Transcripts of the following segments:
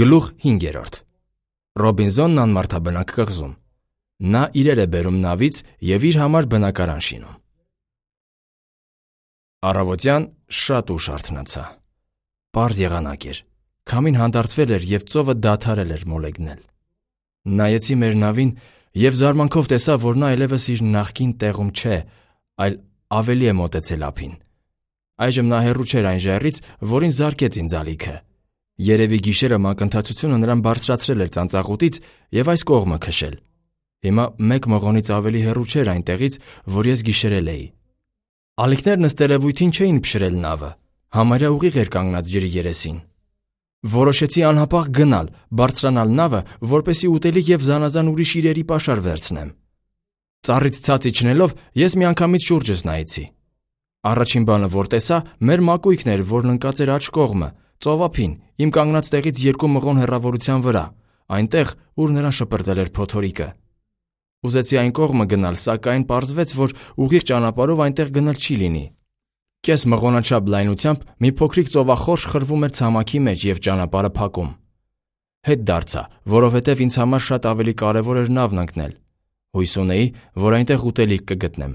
Գլուխ 5. Ռոբինզոնն անմարդաբնակ կղզում։ Նա իրեր է բերում նավից և իր համար բնակարան շինում։ Առավոտյան շատ ուշ արթնացա։ Պարզ եղանակ էր։ Քամին հանդարտվել էր և ծովը դադարել էր մոլեգնել։ Նայեցի մեր նավին և զարմանքով տեսա, որ նա այլևս իր նախկին տեղում չէ, այլ ավելի է մոտեցել ափին։ Այժմ նա հեռու չէր այն ժայռից, որին զարկեց ինձ ալիքը։ Երևի գիշերը մակընթացությունը նրան բարձրացրել էր ծանծաղուտից և այս կողմը քշել։ Հիմա մեկ մղոնից ավելի հեռու չէր այնտեղից, որ ես գիշերել էի։ Ալիքներն ըստ երևույթին չէին փշրել նավը, համարյա ուղիղ էր կանգնած ջրի երեսին։ Որոշեցի անհապաղ գնալ, բարձրանալ նավը, որպեսզի ուտելիք և զանազան ուրիշ իրերի պաշար վերցնեմ։ Ծառից ցած իջնելով ես միանգամից շուրջս նայեցի։ Առաջին բանը, որ տեսա, մեր մակույկն էր, որն ընկած էր աջ կողմը, ծովափին, իմ կանգնած տեղից 2 մղոն հեռավորության վրա, այնտեղ, ուր նրան շպրտել էր փոթորիկը։ Ուզեցի այն կողմը գնալ, սակայն պարզվեց, որ ուղիղ ճանապարհով այնտեղ գնալ չի լինի։ Կես մղոնաչափ լայնությամբ մի փոքրիկ ծովախորշ խրվում էր ցամաքի մեջ և ճանապարհը փակում։ Հետ դարձա, որովհետև ինձ համար շատ ավելի կարևոր էր նավն ընկնել։ Հույս ունեի, որ այնտեղ ուտելիք կգտնեմ։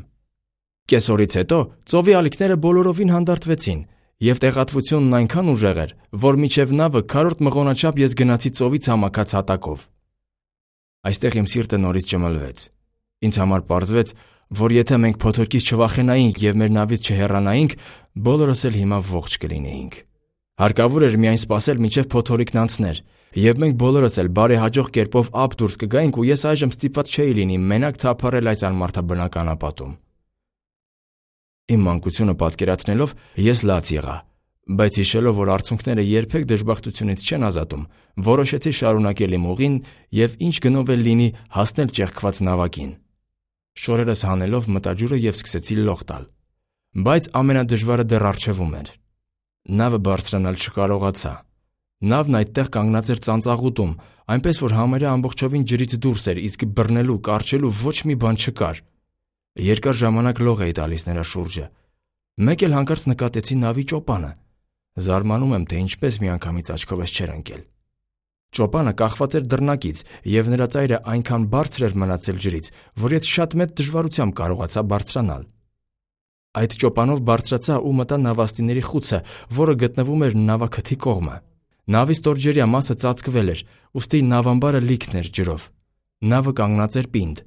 Կեսօրից հետո ծովի ալիքները բոլորովին հանդարտվեցին, և տեղատվությունն այնքան ուժեղ էր, որ մինչև նավը քառորդ մղոնաչափ ես գնացի ծովի ցամաքած հատակով։ Այստեղ իմ սիրտը նորից ճմլվեց։ Ինձ համար պարզվեց, որ եթե մենք փոթորկից չվախենայինք և մեր նավից չհեռանայինք, բոլորս էլ հիմա ողջ կլինեինք։ Հարկավոր էր միայն սպասել, մինչև փոթորիկն անցներ, և մենք բոլորս էլ բարեհաջող կերպով ափ դուրս կգայինք ու ես այժմ ստիպված չէի լինի մենակ թափառել այս անմարդաբնակ անապատում։ Իմ մանկությունը պատկերացնելով ես լաց եղա, բայց հիշելով, որ արցունքները երբեք դժբախտությունից չեն ազատում, որոշեցի շարունակել իմ ուղին և ինչ գնով էլ լինի հասնել ճեղքված նավակին։ Շորերս հանելով մտա ջուրը և սկսեցի լող տալ։ Բայց ամենադժվարը դեռ առջևում էր։ Նավը բարձրանալ չկարողացա։ Նավն այդտեղ կանգնած էր ծանծաղուտում, այնպես որ համարյա ամբողջովին ջրից դուրս էր, իսկ բռնելու, կառչելու ոչ մի բան չկար։ Երկար ժամանակ լող էի տալիս նրա շուրջը։ Մեկ էլ հանկարծ նկատեցի նավի ճոպանը։ Զարմանում եմ, թե ինչպես միանգամից աչքովս չէր ընկել։ Ճոպանը կախված էր դռնակից, և նրա ծայրը այնքան բարձր էր մնացել ջրից, որ ես շատ մեծ դժվարությամբ կարողացա բարձրանալ։ Այդ ճոպանով բարձրացա ու մտա նավաստիների խուցը, որը գտնվում էր նավաքթի կողմը։ Նավի ստորջրյա մասը ծածկվել էր, ուստի նավամբարը լիքն էր ջրով։ Նավը կանգնած էր պինդ,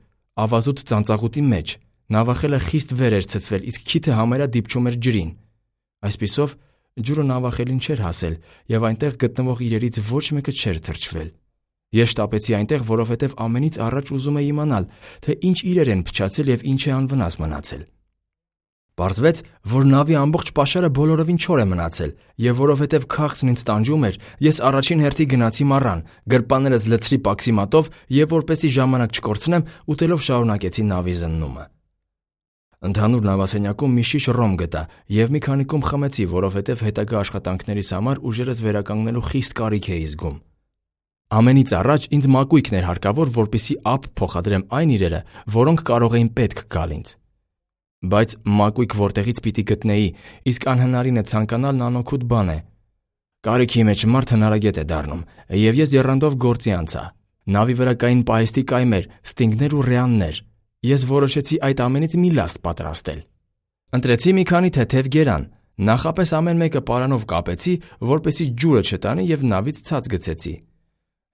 ավազուտ ծանծաղուտի մեջ։ Նավախելը խիստ վեր էր ցցվել, իսկ քիթը համարյա դիպչում էր ջրին։ Այսպիսով, ջուրը նավախելին չէր հասել, և այնտեղ գտնվող իրերից ոչ մեկը չէր թրջվել։ Ես շտապեցի այնտեղ, որովհետև ամենից առաջ ուզում էի իմանալ, թե ինչ իրեր են փչացել և ինչ է անվնաս մնացել։ Պարզվեց, որ նավի ամբողջ պաշարը բոլորովին չոր է մնացել, և որովհետև քաղցն ինձ տանջում էր, ես առաջին հերթի գնացի մառան, գրպաններս լցրի պաքսիմատով և որպեսզի ժամանակ չկորցնեմ, ուտելով շարունակեցի նավի զննումը։ Ընդհանուր նավասենյակում մի շիշ ռոմ գտա և մի քանի կում խմեցի, որովհետև հետագա աշխատանքներիս համար ուժերս վերականգնելու խիստ կարիք էի զգում։ Ամենից առաջ ինձ մակույկն էր հարկավոր, որպեսզի ափ փոխադրեմ այն իրերը, որոնք կարող էին պետք գալ ինձ։ Բայց մակույկ որտեղից պիտի գտնեի, իսկ անհնարին է ցանկանալ անօգուտ բան է։ Կարիքի մեջ մարդ հնարագետ է դառնում, և ես եռանդով գործի անցա։ Նավի վրա կային պահեստի կայմեր, ստինգներ ու ռեաններ։ Ես որոշեցի այդ ամենից մի լաստ պատրաստել։ Ընտրեցի մի քանի թեթև գերան, նախապես ամեն մեկը պարանով կապեցի, որպեսզի ջուրը չտանի և նավից ցած գցեցի։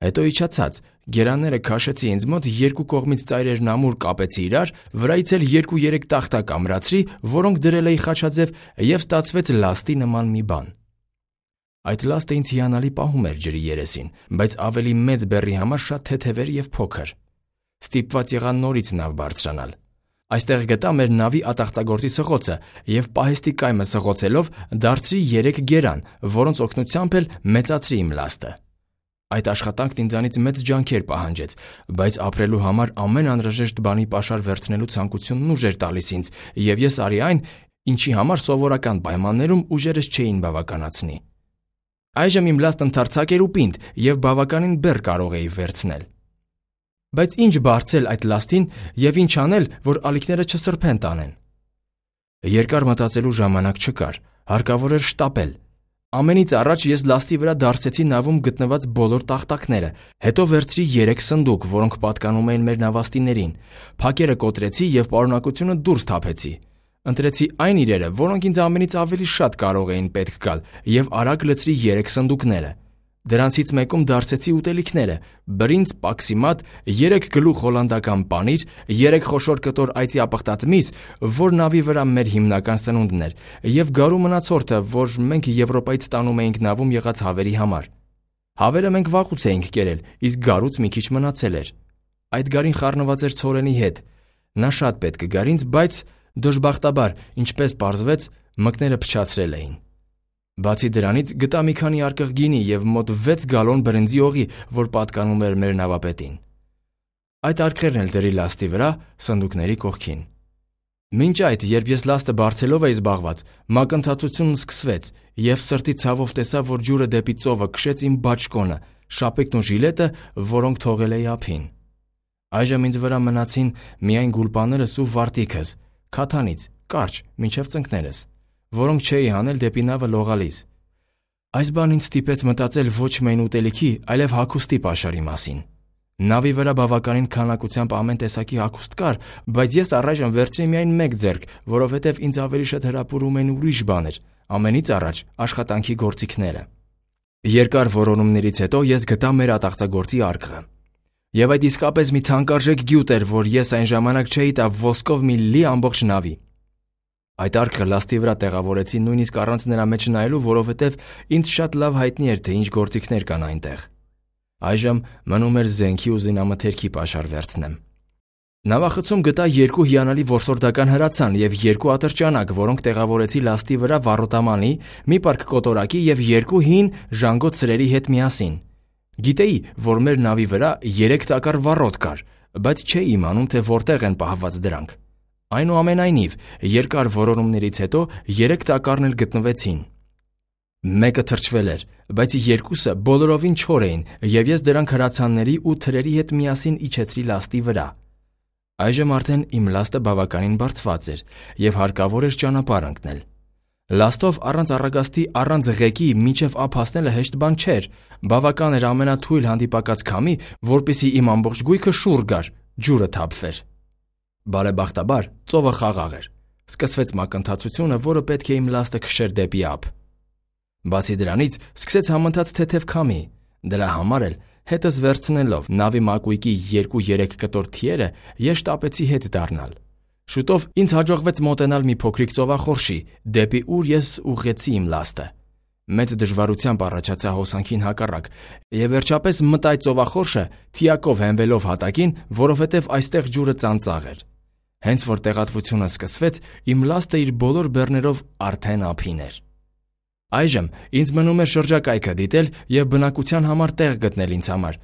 Հետո իջա ցած, գերանները քաշեցի ինձ մոտ, երկու կողմից ծայրերն ամուր կապեցի իրար, վրայից էլ 2-3 տախտակ ամրացրի, որոնք դրել էի խաչաձև, և ստացվեց լաստի նման մի բան։ Այդ լաստը ինձ հիանալի պահում էր ջրի երեսին, բայց ավելի մեծ բեռի համար շատ թեթև էր և փոքր։ Ստիպված եղա նորից նավ բարձրանալ։ Այստեղ գտա մեր նավի ատաղծագործի սղոցը և պահեստի կայմը սղոցելով դարձրի 3 գերան, որոնց օգնությամբ էլ մեծացրի իմ լաստը։ Այդ աշխատանքն ինձանից մեծ ջանքեր պահանջեց, բայց ապրելու համար ամեն անհրաժեշտ բանի պաշար վերցնելու ցանկությունն ուժ էր տալիս ինձ, և ես արի այն, ինչի համար սովորական պայմաններում ուժերս չէին բավականացնի։ Այժմ իմ լաստն ընդարձակ էր ու պինդ, և բավականին բեռ կարող էի վերցնել։ Բայց ինչ բարձել այդ լաստին և ինչ անել, որ ալիքները չսրբեն տանեն։ Երկար մտածելու ժամանակ չկար, հարկավոր էր շտապել։ Ամենից առաջ ես լաստի վրա դարսեցի նավում գտնված բոլոր տախտակները, հետո վերցրի 3 սնդուկ, որոնք պատկանում էին մեր նավաստիներին, փակերը կոտրեցի և պարունակությունը դուրս թափեցի։ Ընտրեցի այն իրերը, որոնք ինձ ամենից ավելի շատ կարող էին պետք գալ, և արագ լցրի 3 սնդուկները։ Դրանցից մեկում դարսեցի ուտելիքները՝ բրինձ, պաքսիմատ, 3 գլուխ հոլանդական պանիր, 3 խոշոր կտոր այծի ապխտած միս, որ նավի վրա մեր հիմնական սնունդն էր, և գարու մնացորդը, որ մենք Եվրոպայից ստանում էինք նավում եղած հավերի համար։ Հավերը մենք վաղուց էինք կերել, իսկ գարուց մի քիչ մնացել էր։ Այդ գարին խառնված էր ցորենի հետ։ Նա շատ պետք կգար ինձ, բայց դժբախտաբար, ինչպես պարզվեց, մկները փչացրել էին։ Բացի դրանից գտա մի քանի արկղ գինի և մոտ 6 գալոն բրինձի օղի, որ պատկանում էր մեր նավապետին։ Այդ արկղերն էլ դրի լաստի վրա, սնդուկների կողքին։ Մինչ այդ, երբ ես լաստը բարձելով էի զբաղված, մակընթացությունն սկսվեց, և սրտի ցավով տեսա, որ ջուրը դեպի ծովը քշեց իմ բաճկոնը, շապիկն ու ժիլետը, որոնք թողել էի ափին։ Այժմ ինձ վրա մնացին միայն գուլպաներս ու վարտիքս, քաթանից, կարճ, մինչև ծնկներս, որոնք չէի հանել դեպի նավը լողալիս։ Այս բանն ինձ ստիպեց մտածել ոչ միայն ուտելիքի, այլև հագուստի պաշարի մասին։ Նավի վրա բավականին քանակությամբ ամեն տեսակի հագուստ կար, բայց ես առայժմ վերցրի միայն 1 ձեռք, որովհետև ինձ ավելի շատ հրապուրում էին ուրիշ բաներ, ամենից առաջ աշխատանքի գործիքները։ Երկար որոնումներից հետո ես գտա մեր ատաղծագործի արկղը։ Եվ այդ իսկապես մի թանկարժեք գյուտ էր, որ ես այն ժամանակ չէի տա ոսկով մի լի ամբողջ նավի։ Այդ արկղը լաստի վրա տեղավորեցի նույնիսկ առանց նրա մեջ նայելու, որովհետև ինձ շատ լավ հայտնի էր, թե ինչ գործիքներ կան այնտեղ։ Այժմ մնում էր զենքի ու զինամթերքի պաշար վերցնեմ։ Նավախցում գտա 2 հիանալի որսորդական հրացան և 2 ատրճանակ, որոնք տեղավորեցի լաստի վրա վառոտամանի, մի պարկ կոտորակի և 2 հին ժանգոտ սրերի հետ միասին։ Գիտեի, որ մեր նավի վրա 3 տակառ վառոտ կար, բայց չէի իմանում, թե որտեղ են պահված դրանք։ Այնուամենայնիվ, երկար որոնումներից հետո 3 տակառն էլ գտնվեցին։ Մեկը թրջվել էր, բայց 2-ը բոլորովին չոր էին, և ես դրանք հրացանների ու թրերի հետ միասին իջեցրի լաստի վրա։ Այժմ արդեն իմ լաստը բավականին բարձված էր, և հարկավոր էր ճանապարհ ընկնել։ Լաստով առանց առագաստի, առանց ղեկի մինչև ափ հասնելը հեշտ բան չէր, բավական էր ամենաթույլ հանդիպակաց քամի, որպեսզի իմ ամբողջ գույքը շուռ գար, ջուրը թափվեր։ Բարեբախտաբար, ծովը խաղաղ էր։ Սկսվեց մակընթացությունը, որը պետք է իմ լաստը քշեր դեպի ափ։ Բացի դրանից, սկսեց համընթաց թեթև քամի։ Դրա համար էլ, հետս վերցնելով նավի մակույկի 2-3 կտոր թիերը, ես շտապեցի հետ դառնալ։ Շուտով ինձ հաջողվեց մոտենալ մի փոքրիկ ծովախորշի, դեպի ուր ես ուղղեցի իմ լաստը։ Մեծ դժվարությամբ առաջացա հոսանքին հակառակ, և վերջապես մտա այդ ծովախորշը, թիակով հենվելով հատակին, որովհետև այստեղ ջուրը ծանծաղ էր։ Հենց որ տեղատվությունը սկսվեց, իմ լաստը իր բոլոր բեռներով արդեն ափին էր։ Այժմ ինձ մնում էր շրջակայքը դիտել և բնակության համար տեղ գտնել ինձ համար,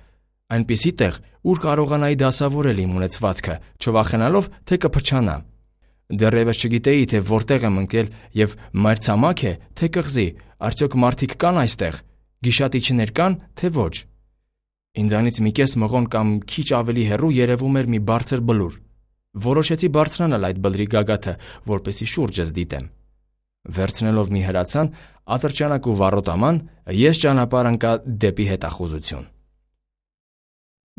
այնպիսի տեղ, ուր կարողանայի դասավորել իմ ունեցվածքը, չվախենալով, թե կփչանա։ Դեռևս չգիտեի, թե որտեղ եմ ընկել և մայրցամաք է, թե կղզի, արդյոք մարդիկ կան այստեղ, գիշատիչներ կան, թե ոչ։ Ինձանից մի կես մղոն կամ քիչ ավելի հեռու երևում էր մի բարձր բլուր։ Որոշեցի բարձրանալ այդ բլրի գագաթը, որպեսզի շուրջս դիտեմ։ Վերցնելով մի հրացան, ատրճանակ ու վառոտաման, ես ճանապարհ ընկա դեպի հետախուզություն։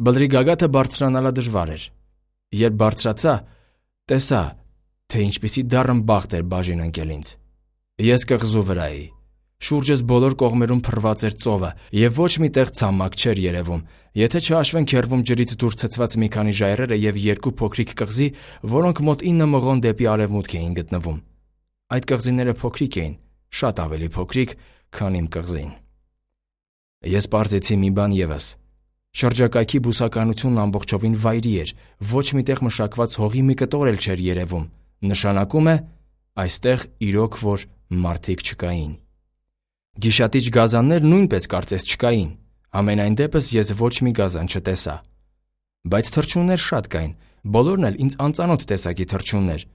Բլրի գագաթը բարձրանալը դժվար էր։ Երբ բարձրացա, տեսա, թե ինչպիսի դառն բախտ էր բաժին ընկել ինձ։ Ես կղզու վրա էի։ Շուրջս բոլոր կողմերում փռված էր ծովը, և ոչ մի տեղ ցամաք չէր երևում, եթե չհաշվենք հեռվում ջրից դուրս ցցված մի քանի ժայռերը և 2 փոքրիկ կղզի, որոնք մոտ 9 մղոն դեպի արևմուտք էին գտնվում։ Այդ կղզիները փոքրիկ էին, շատ ավելի փոքրիկ, քան իմ կղզին։ Ես պարզեցի մի բան ևս։ Շրջակայքի բուսականությունն ամբողջովին վայրի էր, ոչ մի տեղ մշակված հողի մի կտոր էլ չէր երևում, նշանակում է, այստեղ իրոք որ մարդիկ չկային։ Գիշատիչ գազաններ նույնպես կարծես չկային, համենայն դեպս ես ոչ մի գազան չտեսա։ Բայց թռչուններ շատ կային, բոլորն էլ ինձ անծանոթ տեսակի թռչուններ,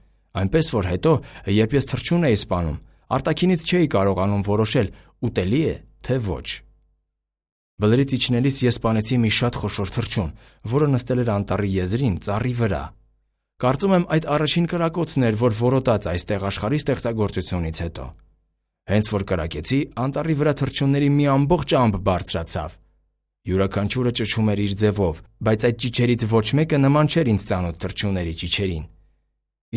այնպես որ հետո, երբ ես թռչուն էի սպանում, արտաքինից չէի կարողանում որոշել ուտելի է, թե ոչ։ Բլրից իջնելիս ես սպանեցի մի շատ խոշոր թռչուն, որը նստել էր անտառի եզրին, ծառի վրա։ Կարծում եմ այդ առաջին կրակոցն էր, որ որոտաց այստեղ աշխարհի ստեղծագործությունից հետո։ Հենց որ կրակեցի, անտառի վրա թռչունների մի ամբողջ ամբ բարձրացավ։ Յուրաքանչյուրը ճչում էր իր ձևով, բայց այդ ճիչերից ոչ մեկը նման չէր ինձ ծանոթ թռչունների ճիչերին։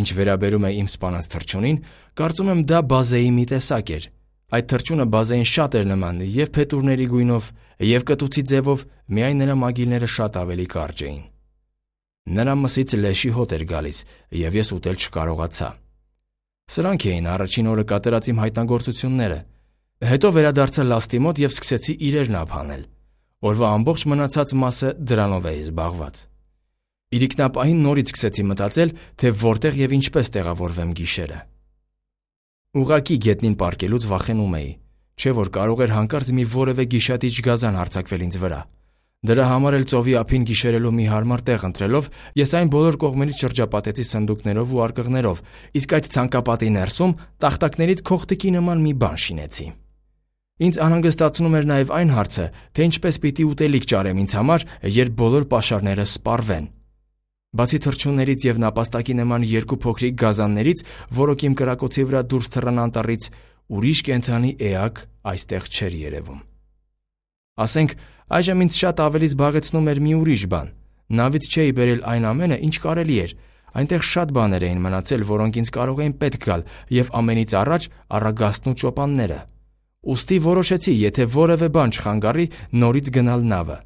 Ինչ վերաբերում է իմ սպանած թռչունին, կարծում եմ դա բազեի մի տեսակ էր։ Այդ թռչունը բազեին շատ էր նման և փետուրների գույնով, և կտուցի ձևով, միայն նրա մագիլները շատ ավելի կարճ էին։ Նրա մսից լեշի հոտ էր գալիս, և ես ուտել չկարողացա։ Սրանք էին առաջին օրը կատարած իմ հայտնագործությունները։ Հետո վերադարձա լաստի մոտ և սկսեցի իրերն ափանել։ Օրվա ամբողջ մնացած մասը դրանով էի զբաղված։ Իրիկնապահին նորից սկսեցի մտածել, թե որտեղ և ինչպես տեղավորվեմ գիշերը։ Ուղղակի գետնին պառկելուց վախենում էի, չէ՞ որ կարող էր հանկարծ մի որևէ գիշատիչ գազան հարձակվել ինձ վրա։ Դրա համար էլ ծովի ափին գիշերելու մի հարմար տեղ ընտրելով, ես այն բոլոր կողմերից շրջապատեցի սնդուկներով ու արկղներով, իսկ այդ ցանկապատի ներսում տախտակներից քողտիկի նման մի բան շինեցի։ Ինձ անհանգստացնում էր նաև այն հարցը, թե ինչպես պիտի ուտելիք ճարեմ ինձ համար, երբ բոլոր պաշարները սպառվեն։ Բացի թռչուններից և նապաստակի նման երկու փոքրիկ գազաններից, որոնք իմ կրակոցի վրա դուրս թռան անտառից, ուրիշ կենդանի էակ այստեղ չէր երևում։ Ասենք, այժմ ինձ շատ ավելի զբաղեցնում էր մի ուրիշ բան։ Նավից չէի բերել այն ամենը, ինչ կարելի էր։ Այնտեղ շատ բաներ էին մնացել, որոնք ինձ կարող էին պետք գալ, և ամենից առաջ առագաստն ու ճոպանները։ Ուստի որոշեցի, եթե որևէ բան չխանգարի, նորից գնալ նավը։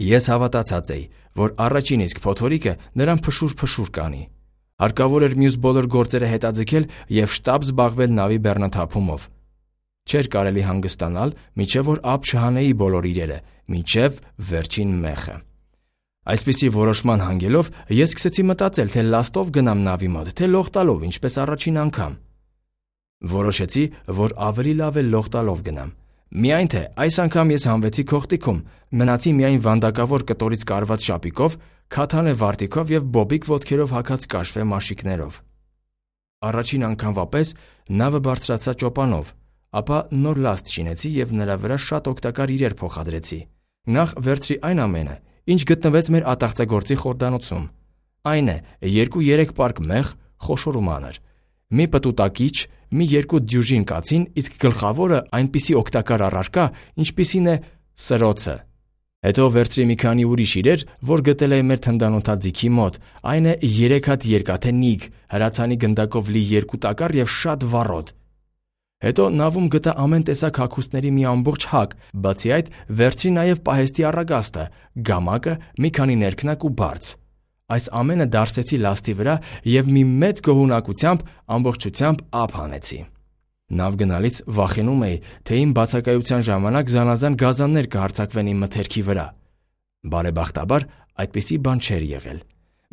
Ես հավատացած էի, որ առաջին իսկ փոթորիկը նրան փշուր-փշուր կանի։ Հարկավոր էր մյուս բոլոր գործերը հետաձգել և շտապ զբաղվել նավի բեռնաթափումով։ Չէր կարելի հանգստանալ, մինչև որ ափ չհանեի բոլոր իրերը, մինչև վերջին մեխը։ Այսպիսի որոշման հանգելով ես սկսեցի մտածել, թե լաստով գնամ նավի մոտ, թե լող տալով, ինչպես առաջին անգամ։ Որոշեցի, որ ավելի լավ է լող տալով գնամ։ Միայն թե այս անգամ ես հանվեցի քողտիկում, մնացի միայն վանդակավոր կտորից կարված շապիկով, քաթանե վարտիքով և բոբիկ ոտքերով հագած կաշվե մաշիկներով։ Առաջին անգամվա պես նավը բարձրացա ճոպանով, ապա նոր լաստ շինեցի և նրա վրա շատ օգտակար իրեր փոխադրեցի։ Նախ վերցրի այն ամենը, ինչ գտնվեց մեր ատաղծագործի խորհրդանոցում։ Այն է 2-3 պարկ մեղ, խոշոր ու մանր, մի պտուտակիչ, մի 2 դյուժին կացին, իսկ գլխավորը այնպիսի օգտակար առարկա, ինչպիսին է սրոցը։ Հետո վերցրի մի քանի ուրիշ իրեր, որ գտել էի մեր թնդանոթաձիգի մոտ, այն է 3 հատ երկաթե նիգ, հրացանի գնդակով լի 2 տակառ և շատ վառոդ։ Հետո նավում գտա ամեն տեսակ հագուստների մի ամբողջ հակ, բացի այդ վերցրի նաև պահեստի առագաստը, գամակը, մի քանի ներքնակ ու բարձ։ Այս ամենը դարսեցի լաստի վրա և մի մեծ գոհունակությամբ ամբողջությամբ ափ հանեցի։ Նավ գնալից վախենում էի, թե իմ բացակայության ժամանակ զանազան գազաններ կհարձակվեն իմ մթերքի վրա։ Բարեբախտաբար այդպիսի բան չէր եղել։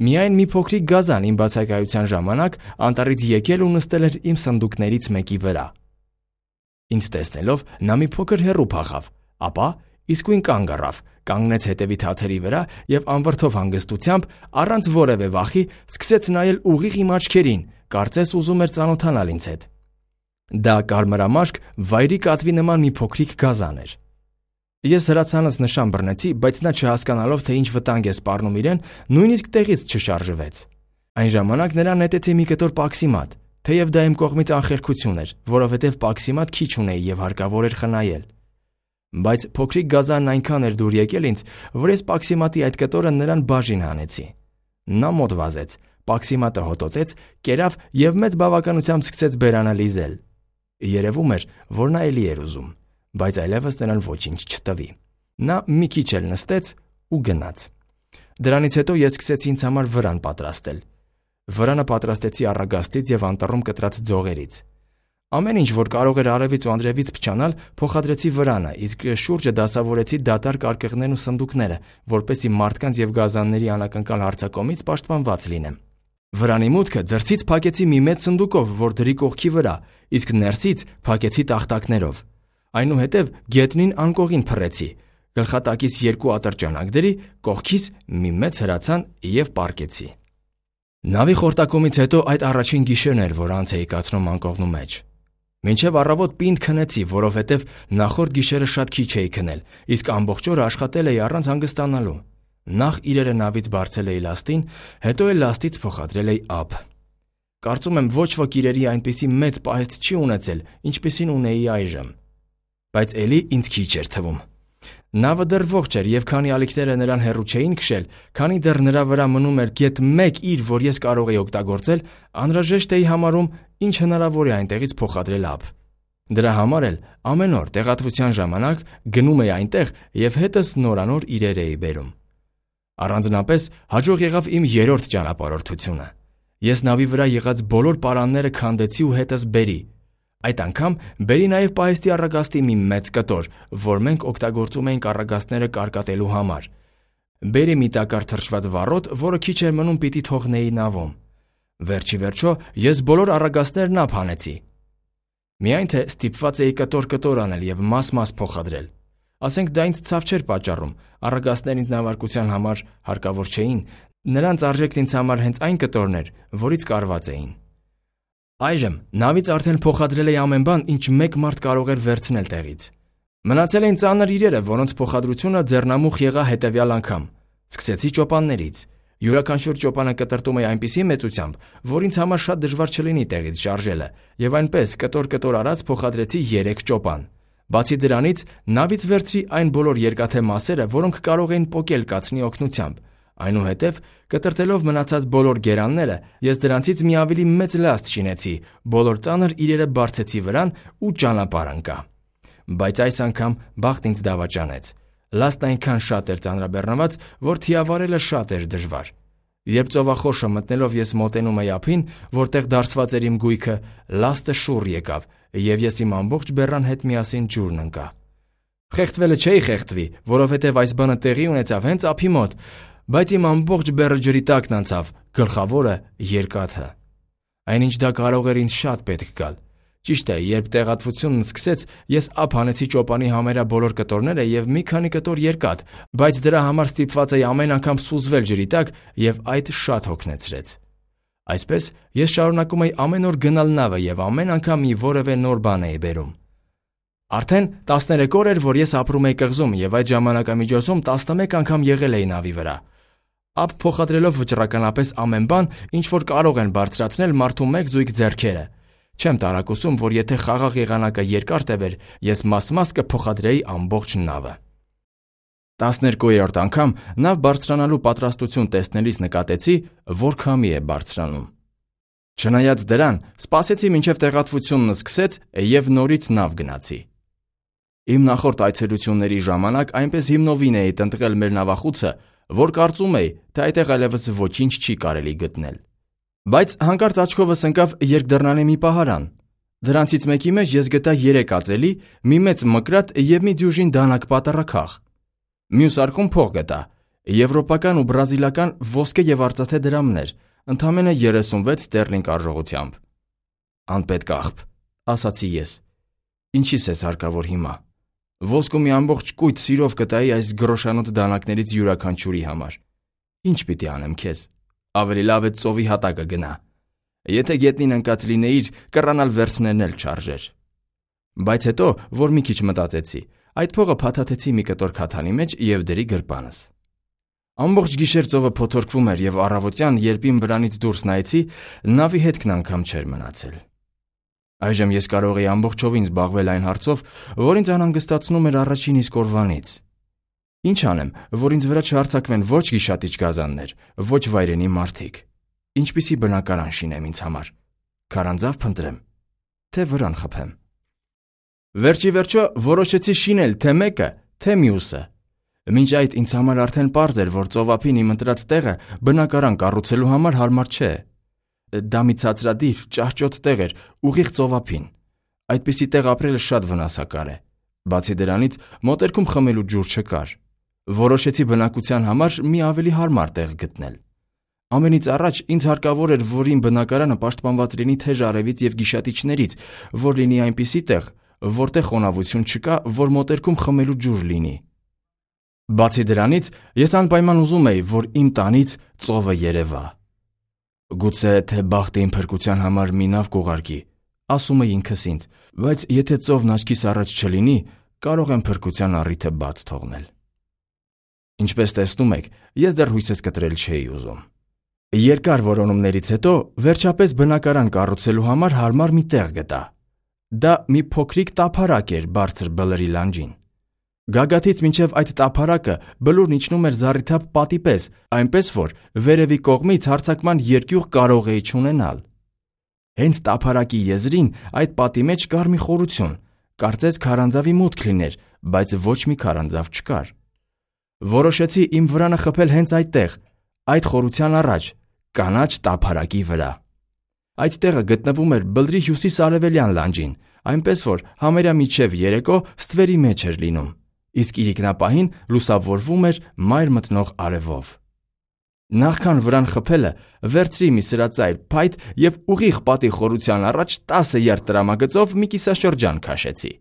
Միայն մի փոքրիկ գազան իմ բացակայության ժամանակ անտառից եկել ու նստել էր իմ սնդուկներից մեկի վրա։ Ինձ տեսնելով նա մի փոքր հեռու փախավ, ապա իսկույն կանգ առավ, կանգնեց հետևի թաթերի վրա և անվրդով հանգստությամբ, առանց որևէ վախի, սկսեց նայել ուղիղ իմ աչքերին, կարծես ուզում էր ծանոթանալ ինձ հետ։ Դա կարմրամաշկ վայրի կատվի նման մի փոքրիկ գազան էր։ Ես հրացանս նշան բռնեցի, բայց նա չհասկանալով, թե ինչ վտանգ է սպառնում իրեն, նույնիսկ տեղից չշարժվեց։ Այն ժամանակ նրան նետեցի մի կտոր պաքսիմատ, թեև դա իմ կողմից անխելքություն էր, որովհետև պաքսիմատ քիչ ունեի և հարկավոր էր խնայել։ Բայց փոքրիկ գազանն այնքան էր դուր եկել ինձ, որ ես պաքսիմատի այդ կտորը նրան բաժին հանեցի։ Նա մոտ վազեց, պաքսիմատը հոտոտեց, կերավ և մեծ բավականությամբ սկսեց բերանը լիզել։ Երևում էր, որ նա էլի էր ուզում, բայց այլևս նրան ոչինչ չտվի։ Նա մի քիչ էլ նստեց ու գնաց։ Դրանից հետո ես սկսեցի ինձ համար վրան պատրաստել։ Վրանը պատրաստեցի առագաստից և անտառում կտրած ձողերից։ Ամեն ինչ, որ կարող էր արևից ու անձրևից փչանալ, փոխադրեցի վրանը, իսկ շուրջը դասավորեցի դատարկ արկղներն ու սնդուկները, որպեսզի մարդկանց և գազանների անակնկալ հարձակումից պաշտպանված լինեմ։ Վրանի մուտքը դրսից փակեցի մի մեծ սնդուկով, որ դրի կողքի վրա, իսկ ներսից փակեցի տախտակներով։ Այնուհետև գետնին անկողին փռեցի, գլխատակիս 2 ատրճանակ դրի, կողքիս մի մեծ հրացան և պառկեցի։ Նավի խորտակումից հետո այդ առաջին գիշերն էր, որ անց էի կացնում անկողնու մեջ։ Մինչև առավոտ պինդ քնեցի, որովհետև նախորդ գիշերը շատ քիչ էի քնել, իսկ ամբողջ օրը աշխատել էի առանց հանգստանալու։ Նախ իրերը նավից բարձել էի լաստին, հետո էլ լաստից փոխադրել էի ափ։ Կարծում եմ ոչ ոք իրերի այնպիսի մեծ պահեստ չի ունեցել, ինչպիսին ունեի այժմ։ Բայց էլի ինձ քիչ էր թվում։ Նավը դեռ ողջ էր, եւ քանի ալիքները նրան հեռու չէին քշել, քանի դեռ նրա վրա մնում էր գեթ 1 իր, որ ես կարող էի օգտագործել, անհրաժեշտ էի համարում, ինչ հնարավոր է այնտեղից փոխադրել ափ։ Դրա համար էլ ամեն օր տեղատվության ժամանակ գնում էի այնտեղ եւ հետս նորանոր իրեր էի բերում։ Առանձնապես հաջող եղավ իմ 3-րդ ճանապարհորդությունը։ Ես նավի վրա եղած բոլոր պարանները քանդեցի ու հետս բերի։ Այդ անգամ բերի նաև պահեստի առագաստի մի մեծ կտոր, որ մենք օգտագործում էինք առագաստները կարկատելու համար։ Բերի մի տակար թրջված վառոդ, որը քիչ էր մնում պիտի թողնեի նավում։ Վերջի վերջո ես բոլոր առագաստներն ափ հանեցի։ Միայն թե ստիպված էի կտոր անել եւ մաս փոխադրել։ Ասենք դա ինձ ցավ չէր պատճառում, առագաստներ ինձ նավարկության համար հարկավոր չէին, նրանց արժեքն ինձ համար հենց այն կտորն էր, որից կարված էին։ Այժմ նավից արդեն փոխադրել էի ամեն բան, ինչ մեկ մարդ կարող էր վերցնել տեղից։ Մնացել էին ծանր իրերը, որոնց փոխադրությունը ձեռնամուխ եղա հետևյալ անգամ։ Սկսեցի ճոպաններից։ Յուրաքանչյուր ճոպանը կտրտում էի այնպիսի մեծությամբ, որ ինձ համար շատ դժվար չլինի տեղից շարժելը, եւ այնպես կտոր արած փոխադրեցի 3 ճոպան։ Բացի դրանից, նավից վերցրի այն բոլոր երկաթե մասերը, որոնք կարող էին պոկել կացնի օգնությամբ։ Այնուհետև, կտրտելով մնացած բոլոր գերանները, ես դրանցից մի ավելի մեծ լաստ շինեցի, բոլոր ծանր իրերը բարձեցի վրան ու ճանապարհ ընկա։ Բայց այս անգամ բախտ ինձ դավաճանեց։ Լաստն այնքան շատ էր ծանրաբեռնված, որ թիավարելը շատ էր դժվար։ Երբ ծովախորշը մտնելով ես մոտենում էի ափին, որտեղ դարսված էր իմ գույքը, լաստը շուռ եկավ, եւ ես իմ ամբողջ բեռան հետ միասին ջուրն ընկա։ Խեղդվելը չէի խեղդվի, որովհետեւ այս բանը տեղի ունեցավ հենց ափի մոտ, բայց իմ ամբողջ բեռը ջրի տակն անցավ, գլխավորը երկաթը։ Այնինչ դա կարող էր ինձ շատ պետք գալ։ Ճիշտ է, երբ տեղատվությունն սկսեց, ես ափ հանեցի ճոպանի համարյա բոլոր կտորները եւ մի քանի կտոր երկաթ, բայց դրա համար ստիպված էի ամեն անգամ սուզվել ջրի տակ եւ այդ շատ հոգնեցրեց։ Այսպես ես շարունակում էի ամեն օր գնալ նավը եւ ամեն անգամ մի որևէ նոր բան էի բերում։ Արդեն 13 օր էր, որ ես ապրում էի կղզում եւ այդ ժամանակամիջոցում 11 անգամ եղել էի նավի վրա։ Ափ փոխադրելով վճռականապես ամեն բան, ինչ որ կարող են բարձրացնել մարդու մեկ զույգ ձեռքերը։ Չեմ տարակուսում, որ եթե խաղաղ եղանակը երկար տևեր, ես մաս կփոխադրեի ամբողջ նավը։ 12-րդ անգամ նավ բարձրանալու պատրաստություն տեսնելիս նկատեցի, որ քամի է բարձրանում։ Չնայած դրան, սպասեցի մինչև տեղատվությունն սկսեց եւ նորից նավ գնացի։ Իմ նախորդ այցելությունների ժամանակ այնպես հիմնովին էի տնտղել մեր նավախուցը, որ կարծում էի, թե այդտեղ այլևս ոչինչ չի կարելի գտնել։ Բայց հանկարծ աչքովս ընկավ երկդռնանի մի պահարան։ Դրանցից մեկի մեջ ես գտա 3 ածելի, մի մեծ մկրատ եւ մի դյուժին դանակ պատառաքաղ։ Մյուս արկում փող գտա, եվրոպական ու բրազիլական ոսկե եւ արծաթե դրամներ, ընդամենը 36 ստերլինգ արժողությամբ։ Անպետք աղբ, ասացի ես։ Ինչի՞ս ես հարկավոր հիմա։ Ոսկու մի ամբողջ կույտ սիրով կտայի այս գրոշանոց դանակներից յուրաքանչյուրի համար։ Ինչ պիտի անեմ քեզ։ Ավելի լավ է ծովի հատակը գնա։ Եթե գետնին ընկած լինեիր, կռանալ վերցնելն էլ չարժեր։ Բայց հետո, որ մի քիչ մտածեցի, այդ փողը փաթաթեցի մի կտոր քաթանի մեջ եւ դրի գրպանս։ Ամբողջ գիշեր ծովը փոթորկվում էր եւ առավոտյան, երբ իմ վրանից դուրս նայեցի, նավի հետքն անգամ չէր մնացել։ Այժմ ես կարող էի ամբողջովին զբաղվել այն հարցով, որ ինձ անհանգստացնում էր առաջին իսկ օրվանից։ Ինչ անեմ, որ ինձ վրա չհարձակվեն ոչ գիշատիչ գազաններ, ոչ վայրենի մարդիկ։ Ինչպիսի բնակարան շինեմ ինձ համար։ Քարանձավ փնտրեմ, թե վրան խփեմ։ Վերջի վերջո որոշեցի շինել թե մեկը, թե մյուսը։ Մինչ այդ ինձ համար արդեն պարզ էր, որ ծովափին իմ ընտրած տեղը բնակարան կառուցելու համար հարմար չէ։ Դա մի ցածրադիր, ճահճոտ տեղ էր, ուղիղ ծովափին։ Այդպիսի տեղ ապրելը շատ վնասակար է։ Բացի դրանից, մոտերքում խմելու ջուր չկար։ Որոշեցի բնակության համար մի ավելի հարմար տեղ գտնել։ Ամենից առաջ ինձ հարկավոր էր, որ իմ բնակարանը պաշտպանված լինի թեժ արևից եւ գիշատիչներից, որ լինի այնպիսի տեղ, որտեղ խոնավություն չկա, որ մոտերքում խմելու ջուր լինի։ Բացի դրանից, ես անպայման ուզում էի, որ իմ տանից ծովը երևա։ Գուցե թե բախտը իմ փրկության համար մի նավ կուղարկի, ասում էի ինքս ինձ, բայց եթե ծովն աչքիս առաջ չլինի, կարող եմ փրկության առիթը բաց թողնել։ Ինչպես տեսնում եք, ես դեռ հույսս կտրել չէի ուզում։ Երկար որոնումներից հետո վերջապես բնակարան կառուցելու համար հարմար մի տեղ գտա։ Դա մի փոքրիկ տափարակ էր բարձր բլրի լանջին։ Գագաթից մինչև այդ տափարակը բլուրն իջնում էր զառիթափ պատի պես, այնպես որ վերևի կողմից հարձակման երկյուղ կարող էի չունենալ։ Հենց տափարակի եզրին այդ պատի մեջ կար մի խորություն, կարծես քարանձավի մուտք լիներ, բայց ոչ մի քարանձավ չկար։ Որոշեցի իմ վրանը խփել հենց այդտեղ, այդ խորության առաջ, կանաչ տափարակի վրա։ Այդ տեղը գտնվում էր բլրի հյուսիս-արևելյան լանջին, այնպես որ համարյա մինչև երեկո ստվերի մեջ էր լինում, իսկ իրիկնապահին լուսավորվում էր մայր մտնող արևով։ Նախքան վրան խփելը վերցրի մի սրածայր փայտ և ուղիղ պատի խորության առաջ 10 յարդ տրամագծով մի կիսաշրջան քաշեցի։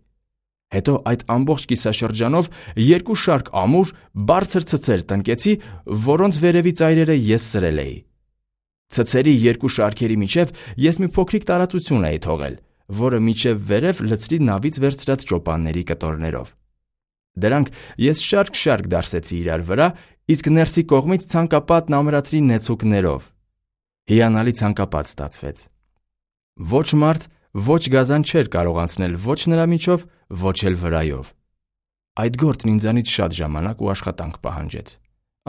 Հետո այդ ամբողջ կիսաշրջանով երկու շարք ամուր, բարձր ցցեր տնկեցի, որոնց վերևի ծայրերը ես սրել էի։ Ցցերի երկու շարքերի միջև ես մի փոքրիկ տարածություն էի թողել, որը մինչև վերև լցրի նավից վերցրած ճոպանների կտորներով։ Դրանք ես շարք-շարք դարսեցի իրար վրա, իսկ ներսի կողմից ցանկապատն ամրացրի նեցուկներով։ Հիանալի ցանկապատ ստացվեց։ Ոչ մարդ, ոչ գազան չէր կարող անցնել ոչ նրա միջով, ոչ էլ վրայով։ Այդ գործն ինձանից շատ ժամանակ ու աշխատանք պահանջեց։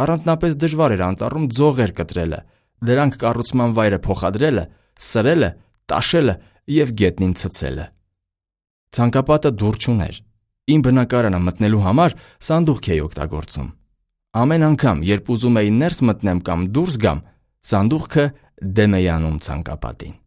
Առանձնապես դժվար էր անտառում ձողեր կտրելը, դրանք կառուցման վայրը փոխադրելը, սրելը, տաշելը և գետնին ցցելը։ Ցանկապատը դուռ չուներ։ Իմ բնակարանը մտնելու համար սանդուղք էի օգտագործում։ Ամեն անգամ, երբ ուզում էի ներս մտնեմ կամ դուրս գամ, սանդուղքը դեմ էի անում ցանկապատին։